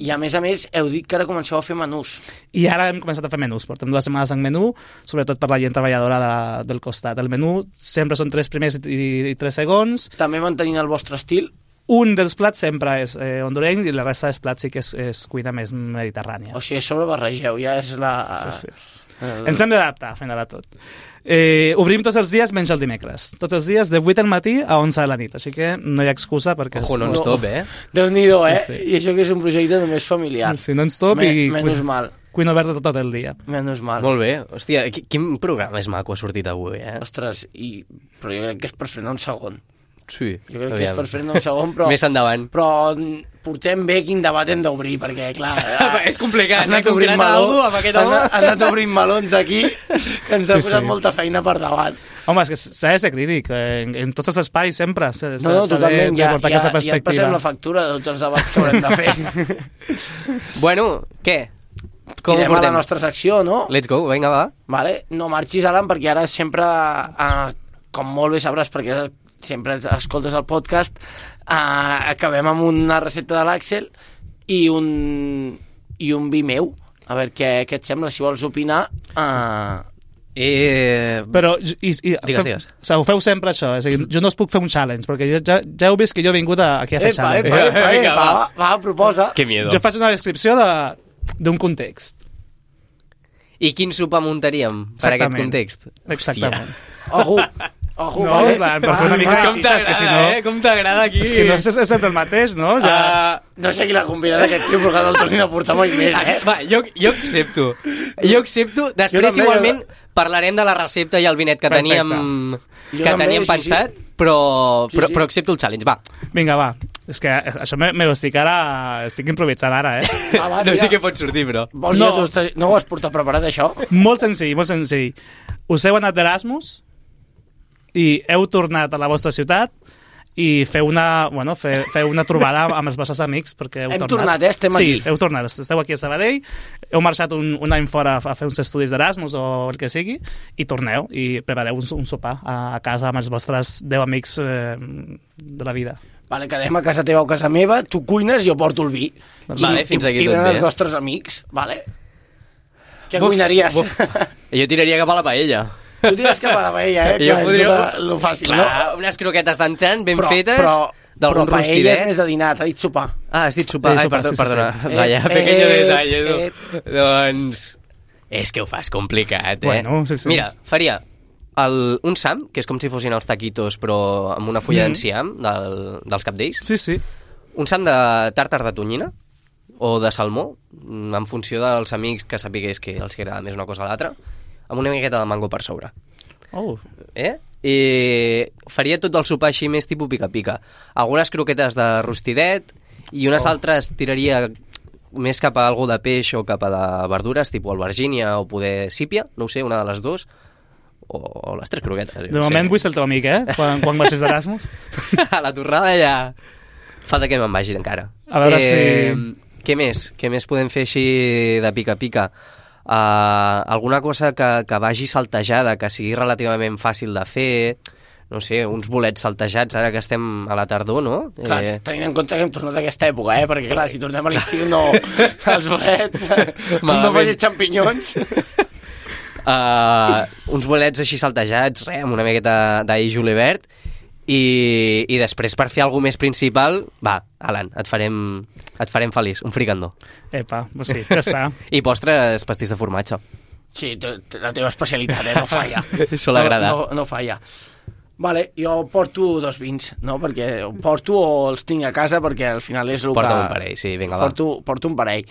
I a més a més, heu dit que ara comenceu a fer menús. I ara hem començat a fer menús, portem dues setmanes en menú, sobretot per la gent treballadora de, del costat. El menú sempre són tres primers i, i tres segons. També mantenint el vostre estil. Un dels plats sempre és eh, hondureny i la resta dels plats sí que és, és cuina més mediterrània. O sigui, a sobre barregeu, ja és la... Sí, sí. Uh... Ens hem d'adaptar, final de tot. Eh, obrim tots els dies menys el dimecres. Tots els dies de vuit del matí a onze de la nit, així que no hi ha excusa perquè... Ojo, non-stop, eh? Déu-n'hi-do, eh? Sí. I això que és un projecte només familiar. Sí, non-stop Me, i... Menys mal. Cuina oberta tot el dia. Menys mal. Molt bé. Hòstia, quin programa és maco ha sortit avui, eh? Ostres, i... però jo crec que és per frenar un segon. Sí. Jo crec que és per frenar un segon, però... Més endavant. Però portem bé quin debat hem d'obrir, perquè, clar... És complicat, han anat eh? obrint Concretar meló, algú amb aquest han, home. han anat obrint melons aquí, que ens ha Sí, posat sí. molta feina per davant. Home, és que s'ha de ser crític, eh, en, en tots els espais sempre s'ha No, no, totalment, de, ja, de portar ja, aquesta ja et perspectiva. passem la factura de tots els debats que haurem de fer. Bueno, què? Com ho Tirem a la portem? nostra secció, no? Let's go, vinga, va. Vale? No marxis, Alan, perquè ara sempre, eh, com molt bé sabràs, perquè sempre escoltes el podcast, eh, acabem amb una recepta de l'Àxel i un, i un vi meu. A veure què, què et sembla, si vols opinar. Eh... Eh... Però, i, i, Digues, feu, digues. O sigui, ho feu sempre això, és a dir, jo no us puc fer un challenge, perquè jo, ja, ja heu vist que jo he vingut a, aquí a fer Epa, challenge. epa, epa, Vinga, epa, va, va. va, proposa. Que miedo. Jo faig una descripció de d'un context. I quin sopar muntaríem per aquest Exactament. context? Exactament. Ojo, ojo, No, vale? clar, per fer una mica Com de xitxa, és que si no... eh? Com t'agrada aquí? És que no és, és sempre el mateix, no? Ja... Uh, No sé qui l'ha combinat aquest tio, però que no el tornin a portar mai més, eh? va, jo, jo accepto. Jo accepto. Després, Jo també, igualment, parlarem de la recepta i el vinet que Perfecte. teníem, Jo que també, teníem sí, pensat, sí. però, Sí, però, sí. però accepto el challenge, va. Vinga, va. És que això me, me ho estic ara... Estic improvisant ara, eh? Va, va, No tira. sé què pot sortir, però... Vols No. no. Ja, tu, no ho has portat preparat, això? Molt senzill, molt senzill. Us heu anat d'Erasmus i heu tornat a la vostra ciutat i feu una, bueno, fe, feu una trobada amb els vostres amics perquè heu Hem tornat. tornat, eh? Estem sí, aquí. Sí, heu tornat. Esteu aquí a Sabadell, heu marxat un, un any fora a fer uns estudis d'Erasmus o el que sigui i torneu i prepareu un, un sopar a, a casa amb els vostres deu amics eh, de la vida. Vale, quedem a casa teva o a casa meva, tu cuines i jo porto el vi. Vale, I, fins aquí i, tot i venen bé. els nostres amics, vale? Què Buf, cuinaries? buf. Jo tiraria cap a la paella. Tu tires cap a la paella, eh? Jo Clar, podria- és lo fàcil, Clar, no? unes croquetes d'entrant ben Però- fetes, però- d'algun Però paella és rostidet. més de dinar, t'ha dit sopar. Ah, has dit sopar. Sí, Ai, sopar, perdó, sí, sí, perdona. sí. Vaya, Eh, pequeño eh, detalle, tu. eh. Doncs... És que ho fas complicat, eh? Bueno, sí, sí. Mira, faria el, un sam, que és com si fossin els taquitos, però amb una fulla Mm. d'enciam del, dels capdells. Sí, sí. Un sam de tàrtar de tonyina o de salmó, mm, en funció dels amics que sapigués que els agrada més una cosa o l'altra, amb una miqueta de mango per sobre. Oh, Eh? I faria tot el sopar així més tipus pica-pica. Algunes croquetes de rostidet i unes Oh. altres tiraria més cap a algo de peix o cap a de verdures, tipus albergínia o poder sípia, no ho sé, una de les dues, o, o les tres croquetes. jo de no moment sé. vull ser el teu amic, eh? Quan, quan marxis d'Erasmus. A la torrada ja falta que me'n vagi encara. A veure eh, si- Què més? Què més podem fer així de pica-pica? Uh, alguna cosa que, que vagi saltejada, que sigui relativament fàcil de fer, no sé, uns bolets saltejats ara que estem a la tardor, no? Clar, Eh, tenint en compte que hem tornat a aquesta època, eh? Perquè, clar, si tornem a l'estiu, no... Els bolets... no Malament. facis xampinyons. uh, uns bolets així saltejats, res, amb una miqueta d'ail julivert, i, i després per fer alguna més principal, va, Alan, et farem, et farem feliç, un fricandó. Epa, pues sí, ja està. I postres, pastís de formatge. Sí, te- te- la teva especialitat, eh? No falla. Sol agradar. No, no, no falla. Vale, jo porto dos vins, no? Perquè ho porto o els tinc a casa perquè al final és el Porta que... un parell, sí, vinga, va. porto, porto un parell.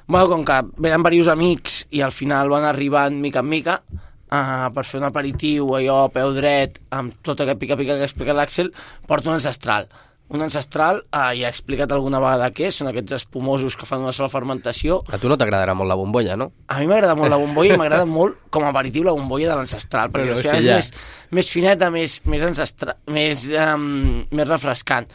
Bueno, com que venen diversos amics i al final van arribant mica en mica, uh, per fer un aperitiu, allò, a peu dret, amb tot aquest pica-pica que ha explicat l'Àxel, porto un ancestral. Un ancestral, uh, ja he explicat alguna vegada què és, són aquests espumosos que fan una sola fermentació. A tu no t'agradarà molt la bombolla, no? A mi m'agrada molt la bombolla i m'agrada molt com a aperitiu la bombolla de l'ancestral, perquè No al sé, final ja. és més, més fineta, més, més, ancestral, més, um, més refrescant.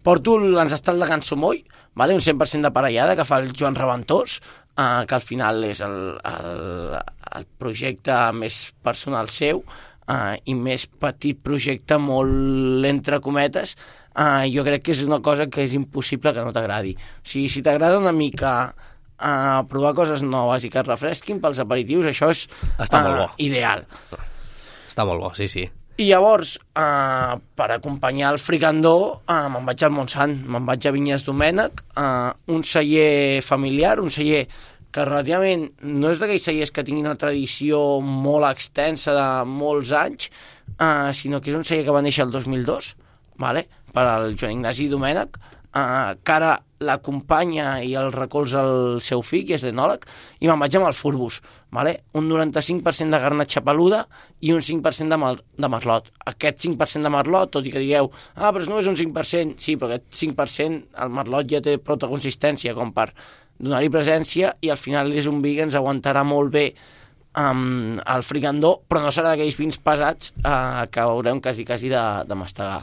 Porto l'ancestral de Can Somoll, vale? Un cent per cent de parellada que fa el Joan Reventós, uh, que al final és el, el, el projecte més personal seu uh, i més petit projecte, molt entre cometes. Uh, jo crec que és una cosa que és impossible que no t'agradi. O sigui, si t'agrada una mica uh, provar coses noves i que et refresquin pels aperitius, això és Està molt bo. ideal. Està molt bo, sí, sí. I llavors, uh, per acompanyar el fricandó, uh, me'n vaig al Montsant, me'n vaig a Vinyes Domènec, uh, un celler familiar, un celler que relativament no és d'aquells cellers que tinguin una tradició molt extensa de molts anys, uh, sinó que és un celler que va néixer el dos mil dos, vale? Per al Joan Ignasi Domènech, uh, que ara l'acompanya i el recolza el seu fill, que és l'enòleg, i me'n vaig amb el Furbus, vale? Un noranta-cinc per cent de garnatxa peluda i un cinc per cent de, mar de merlot. Aquest cinc per cent de merlot, tot i que digueu, ah, però no és un cinc per cent, sí, però aquest cinc per cent, el merlot ja té prou consistència com per donar-hi presència, i al final és un vi que ens aguantarà molt bé um, el fricandó, però no serà d'aquells vins pesats uh, que haurem quasi, quasi de, de mastegar.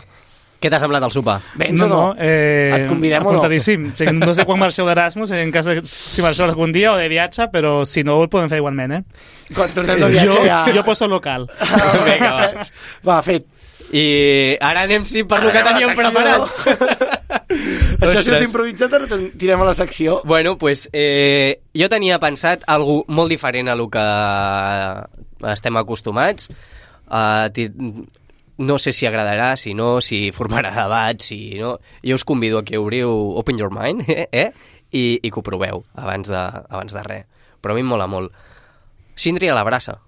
Què t'ha semblat el sopar? Vens no, o no? no eh, Et convidem o no? Apuntadíssim. No sé quan marxeu d'Erasmus, en cas de si marxeu algun dia o de viatge, però si no ho podem fer igualment, eh? Quan tornem de viatge jo, ja... jo poso local. Vinga, va. Va, fet. I ara anem sí per lo que teníem preparat. Això si ho t'he improvisat, ara tirem a la secció. Bueno, pues eh, jo tenia pensat algo molt diferent a lo que estem acostumats. Uh, no sé si agradarà, si no, si formarà debat, si no... Jo us convido a que obriu Open Your Mind, eh? eh? I, i que ho proveu abans de, abans de res. Però a mi em mola molt. Síndria a la brasa.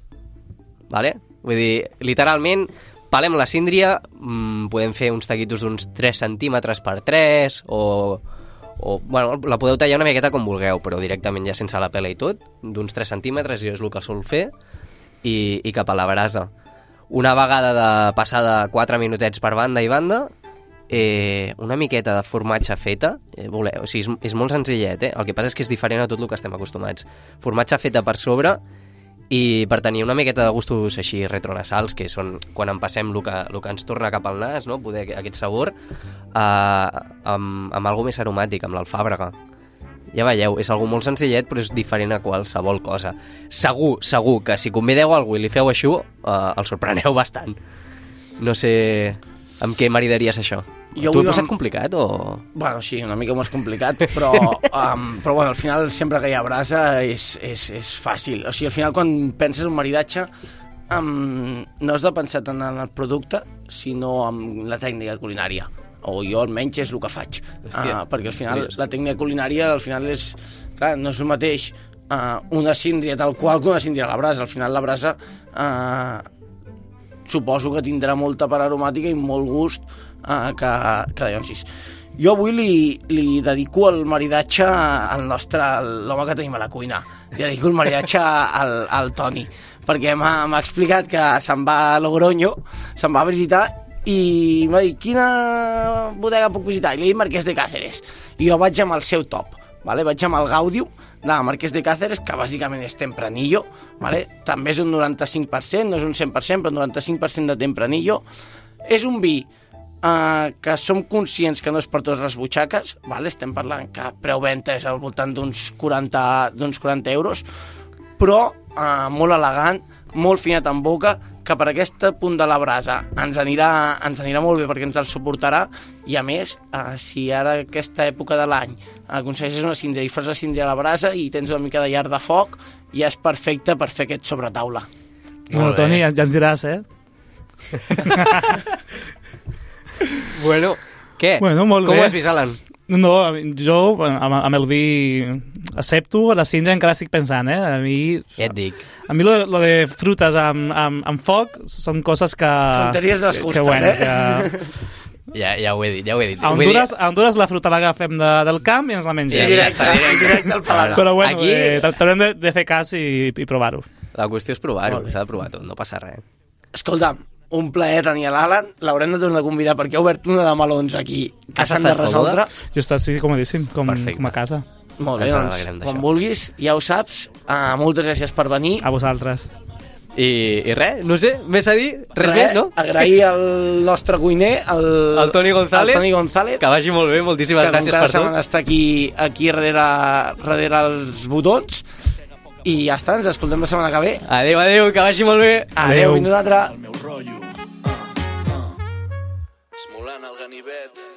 Vale? Vull dir, literalment, pelem la síndria, mmm, podem fer uns taquitos d'uns tres centímetres per tres, o, o... Bueno, la podeu tallar una miqueta com vulgueu, però directament ja sense la pela i tot, d'uns tres centímetres, jo és el que sol fer, i, i cap a la brasa. Una vegada de passada quatre minutets per banda i banda, eh, una miqueta de formatge feta, eh, voleu, o sigui, és, és molt senzillet, eh? El que passa és que és diferent a tot el que estem acostumats. Formatge feta per sobre, i per tenir una miqueta de gustos així retronasals, que són quan en passem el que, el que ens torna cap al nas, no? Poder aquest sabor, eh, amb, amb alguna més aromàtic, amb l'alfàbrega. Ja veieu, és algo molt senzillet, però és diferent a qualsevol cosa. Segur, segur que si convideu algú i li feu això, eh, el sorpreneu bastant. No sé amb què maridaries això. Jo tu ho has passat amb... complicat o...? Bueno, sí, una mica més complicat, però, um, però bueno, al final sempre que hi ha brasa és, és, és fàcil. O sigui, al final quan penses un maridatge um, no has de pensar tant en el producte, sinó en la tècnica culinària. O jo almenys és el que faig. Hòstia, uh, perquè al final curiós. La tècnica culinària al final és, clar, no és el mateix uh, una síndria tal qual que una síndria a la brasa. Al final la brasa uh, suposo que tindrà molta part aromàtica i molt gust uh, que, que de llonsis. Jo avui li, li dedico el maridatge al nostre, l'home que tenim a la cuina. Li dedico el maridatge al, al Toni, perquè m'ha explicat que se'n va a Logroño, se'n va a visitar, i m'ha dit, quina bodega puc visitar? I li he dit Marquès de Cáceres. I jo vaig amb el seu top, vale? Vaig amb el Gaudium de Marquès de Cáceres, que bàsicament és Tempranillo, vale? També és un noranta-cinc per cent, no és un cent per cent, però un noranta-cinc per cent de Tempranillo. És un vi eh, que som conscients que no és per totes les butxaques, vale? Estem parlant que preu-venta és al voltant d'uns quaranta, d'uns quaranta euros, però eh, molt elegant, molt finet en boca, que per aquest punt de la brasa ens anirà, ens anirà molt bé perquè ens el suportarà, i a més, eh, si ara aquesta època de l'any aconsegueixes una síndria i fas la síndria a la brasa i tens una mica de llar de foc, ja és perfecte per fer aquest sobretaula. Bueno, Toni, ja, ja ens diràs, eh? Bueno, què? Bueno, molt Com bé. ho has vist, Alan? No, jo amb, amb el vi accepto, la síndria encara estic pensant, eh? A mi... Ja et dic. A mi lo, lo de frutes amb, amb, amb foc són coses que... Tonteries de les justes, que, bueno, eh? Que... Ja, ja ho he dit, ja ho he dit. A Honduras, a Honduras la fruta l'agafem de, del camp i ens la mengem. Ja, ja està, directe, directe al paladar. Però bueno, Aquí... eh, t'haurem de, de fer cas i, i provar-ho. La qüestió és provar-ho, s'ha de provar tot, no passa res. Escolta'm, un plaer tenir l'Alan, l'haurem de tornar a convidar perquè ha obert una de melons aquí que Has s'han de estat resoldre. còmode? Jo està, sí, comodíssim, com, Perfecte. com a casa. Molt bé, Ens doncs, alegrem d'això. quan vulguis, ja ho saps. Uh, moltes gràcies per venir. A vosaltres. I, i res, no sé, més a dir, res, més, no? Agrair al nostre cuiner, el, El Toni González, el Toni González, que vagi molt bé, moltíssimes que gràcies cada per setmana tot. està aquí, aquí darrere, darrere els botons. I ja està, ens escoltem la setmana que ve. Adéu, adéu, que vagi molt bé. Adéu, fins una altra. El meu rotllo. Uh, uh. Esmolant el ganivet.